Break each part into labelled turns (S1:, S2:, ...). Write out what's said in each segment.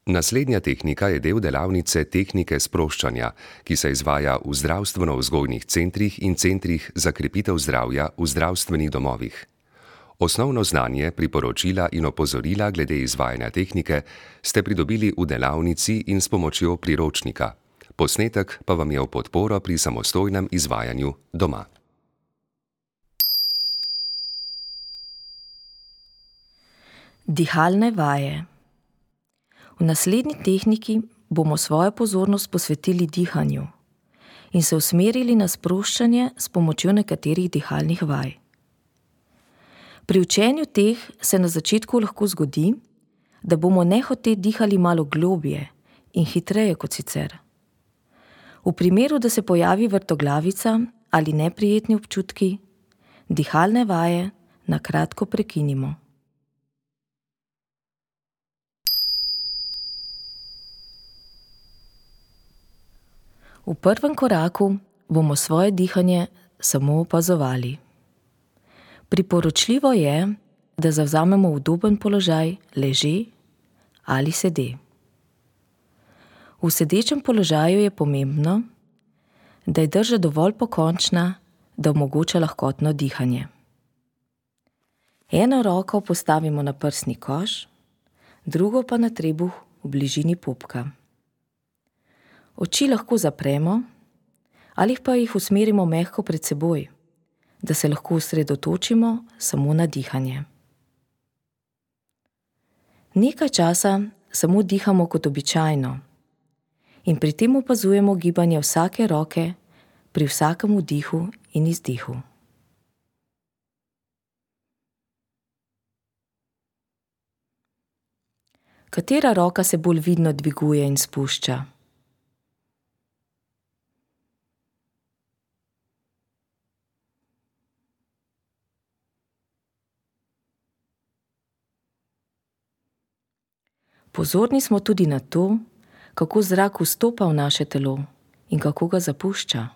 S1: Naslednja tehnika je del delavnice tehnike sproščanja, ki se izvaja v zdravstveno-vzgojnih centrih in centrih za krepitev zdravja v zdravstvenih domovih. Osnovno znanje, priporočila in opozorila glede izvajanja tehnike ste pridobili v delavnici in s pomočjo priročnika. Posnetek pa vam je v podporo pri samostojnem izvajanju doma.
S2: Dihalne vaje. V naslednji tehniki bomo svojo pozornost posvetili dihanju in se usmerili na sproščanje s pomočjo nekaterih dihalnih vaj. Pri učenju teh se na začetku lahko zgodi, da bomo nehote dihali malo globje in hitreje kot sicer. V primeru, da se pojavi vrtoglavica ali neprijetni občutki, dihalne vaje na kratko prekinimo. V prvem koraku bomo svoje dihanje samo opazovali. Priporočljivo je, da zavzamemo udoben položaj leže ali sede. V sedečem položaju je pomembno, da je drža dovolj pokončna, da omogoča lahkotno dihanje. Eno roko postavimo na prsni koš, drugo pa na trebuh v bližini pupka. Oči lahko zapremo ali pa jih usmerimo mehko pred seboj, da se lahko osredotočimo samo na dihanje. Nekaj časa samo dihamo kot običajno in pri tem opazujemo gibanje vsake roke pri vsakem vdihu in izdihu. Katera roka se bolj vidno dviguje in spušča? Pozorni smo tudi na to, kako zrak vstopa v naše telo in kako ga zapušča.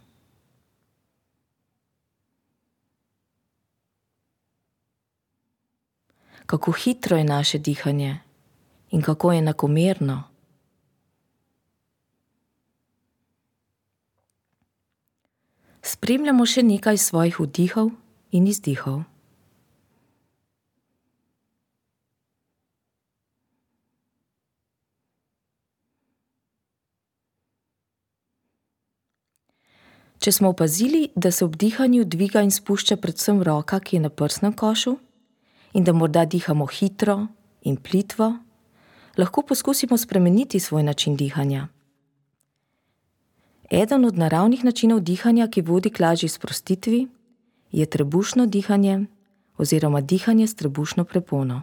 S2: Kako hitro je naše dihanje in kako je enakomerno. Spremljamo še nekaj svojih vdihov in izdihov. Če smo opazili, da se ob dihanju dviga in spušča predvsem roka, ki je na prsnem košu, in da morda dihamo hitro in plitvo, lahko poskusimo spremeniti svoj način dihanja. Eden od naravnih načinov dihanja, ki vodi k lažji sprostitvi, je trebušno dihanje oziroma dihanje s trebušno prepono.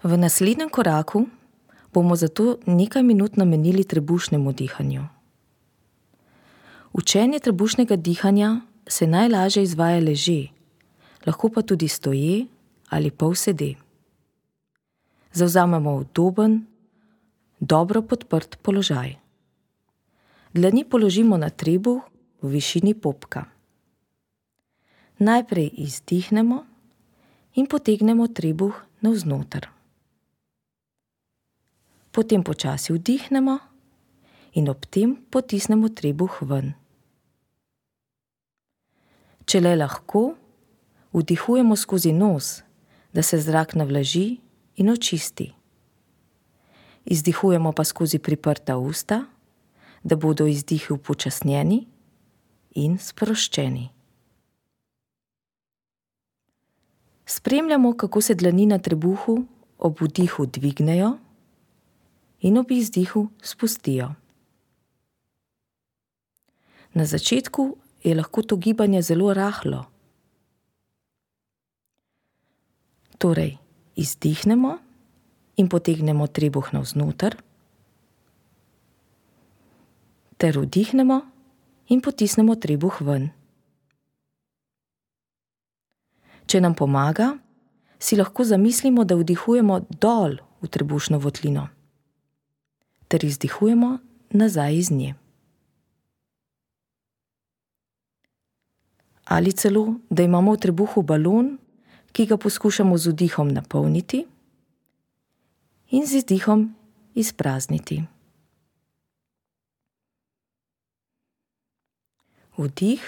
S2: V naslednjem koraku bomo zato nekaj minut namenili trebušnemu dihanju. Učenje trebušnega dihanja se najlažje izvaja leže, lahko pa tudi stoje ali polsede. Zavzamemo udoben, dobro podprt položaj. Dlani položimo na trebuh v višini popka. Najprej izdihnemo in potegnemo trebuh navznoter. Potem počasi vdihnemo in ob tem potisnemo trebuh ven. Če le lahko, vdihujemo skozi nos, da se zrak navlaži in očisti. Izdihujemo pa skozi priprta usta, da bodo izdihi upočasnjeni in sproščeni. Spremljamo, kako se dlani na trebuhu ob vdihu dvignejo in ob izdihu spustijo. Na začetku je lahko to gibanje zelo rahlo. Torej, izdihnemo in potegnemo trebuh navznoter, ter vdihnemo in potisnemo trebuh ven. Če nam pomaga, si lahko zamislimo, da vdihujemo dol v trebušno votlino, ter izdihujemo nazaj iz nje. ali celo, da imamo v trebuhu balon, ki ga poskušamo z vdihom napolniti in z izdihom izprazniti. Vdih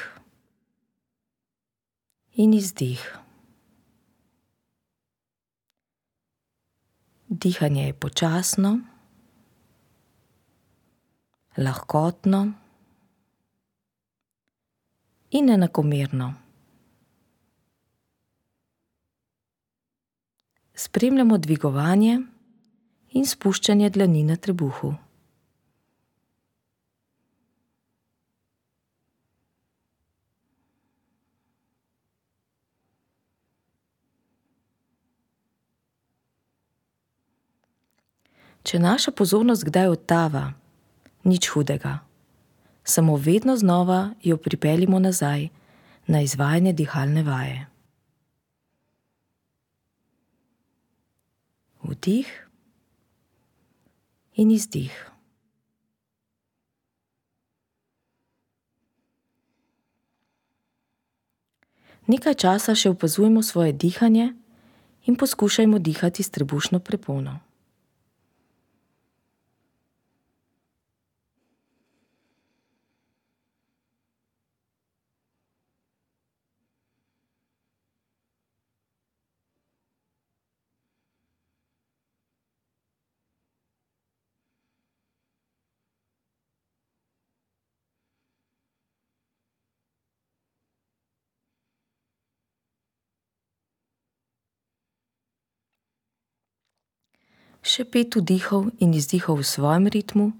S2: in izdih. Dihanje je počasno, lahkotno in enakomerno. Spremljamo dvigovanje in spuščanje dlani na trebuhu. Če naša pozornost kdaj odtava, nič hudega. Samo vedno znova jo pripeljimo nazaj na izvajanje dihalne vaje. Vdih in izdih. Nekaj časa še opazujemo svoje dihanje in poskušajmo dihati s trebušno prepono. Še 5 vdihov in izdihov v svojem ritmu,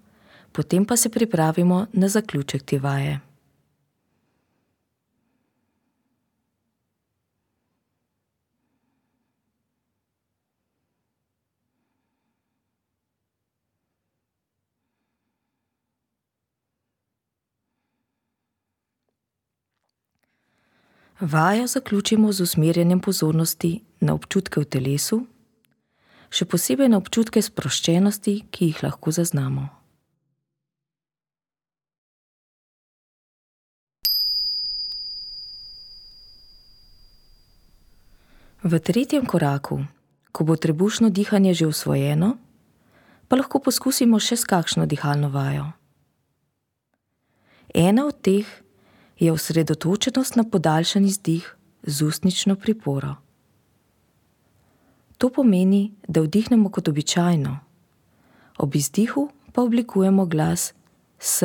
S2: potem pa se pripravimo na zaključek te vaje. Vajo zaključimo z usmerjanjem pozornosti na občutke v telesu, še posebej na občutke sproščenosti, ki jih lahko zaznamo. V 3. koraku, ko bo trebušno dihanje že usvojeno, pa lahko poskusimo še s kakšno dihalno vajo. Ena od teh je osredotočenost na podaljšan izdih z ustnično priporo. To pomeni, da vdihnemo kot običajno, ob izdihu pa oblikujemo glas S,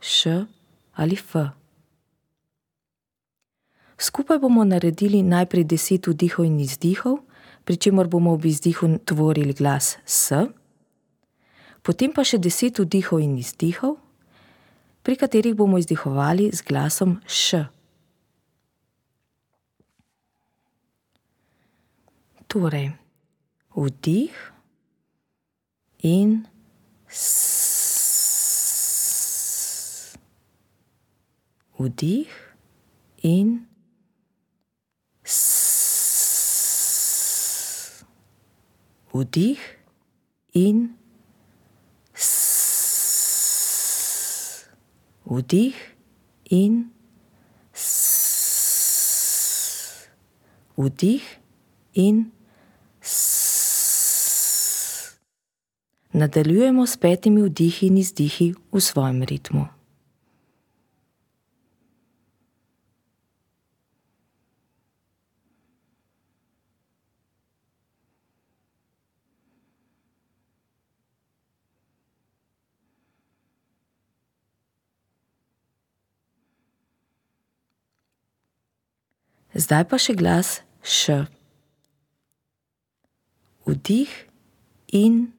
S2: Š ali F. Skupaj bomo naredili najprej 10 vdihov in izdihov, pri čemer bomo ob izdihu tvorili glas S, potem pa še 10 vdihov in izdihov, pri katerih bomo izdihovali z glasom Š. Torej, vdih in S. Vdih in S. Vdih in S. Vdih in S. Vdih in S. Nadaljujemo s 5 vdihi in izdihi v svojem ritmu. Zdaj pa še glas Š. Vdih in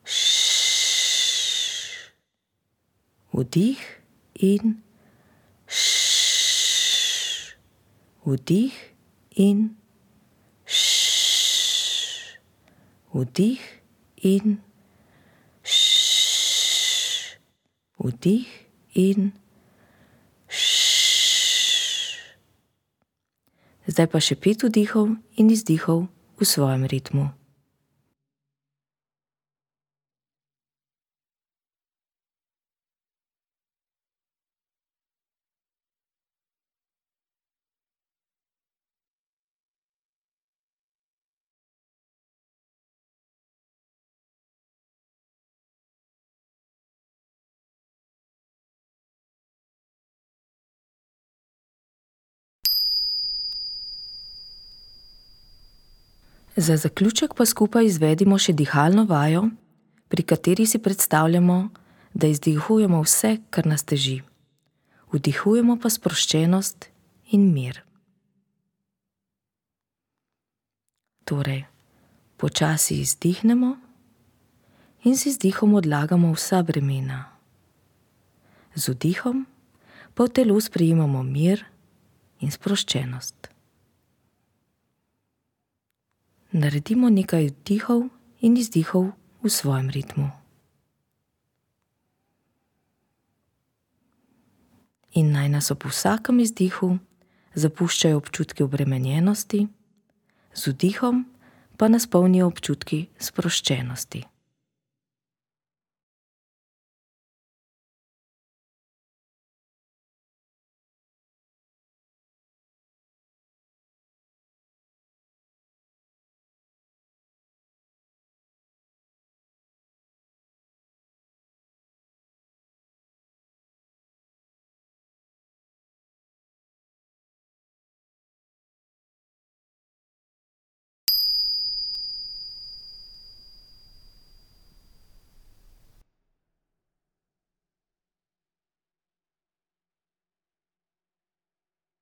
S2: Š. Vdih in Š. Vdih in Š. Vdih in Š. Vdih in Š. Zdaj pa še 5 vdihov in izdihov v svojem ritmu. Za zaključek pa skupaj izvedimo še dihalno vajo, pri kateri si predstavljamo, da izdihujemo vse, kar nas teži. Vdihujemo pa sproščenost in mir. Torej, počasi izdihnemo in z izdihom odlagamo vsa bremena. Z vdihom pa v telu sprejemamo mir in sproščenost. Naredimo nekaj vdihov in izdihov v svojem ritmu. In naj nas ob vsakem izdihu zapuščajo občutki obremenjenosti, z vdihom pa nas polnijo občutki sproščenosti.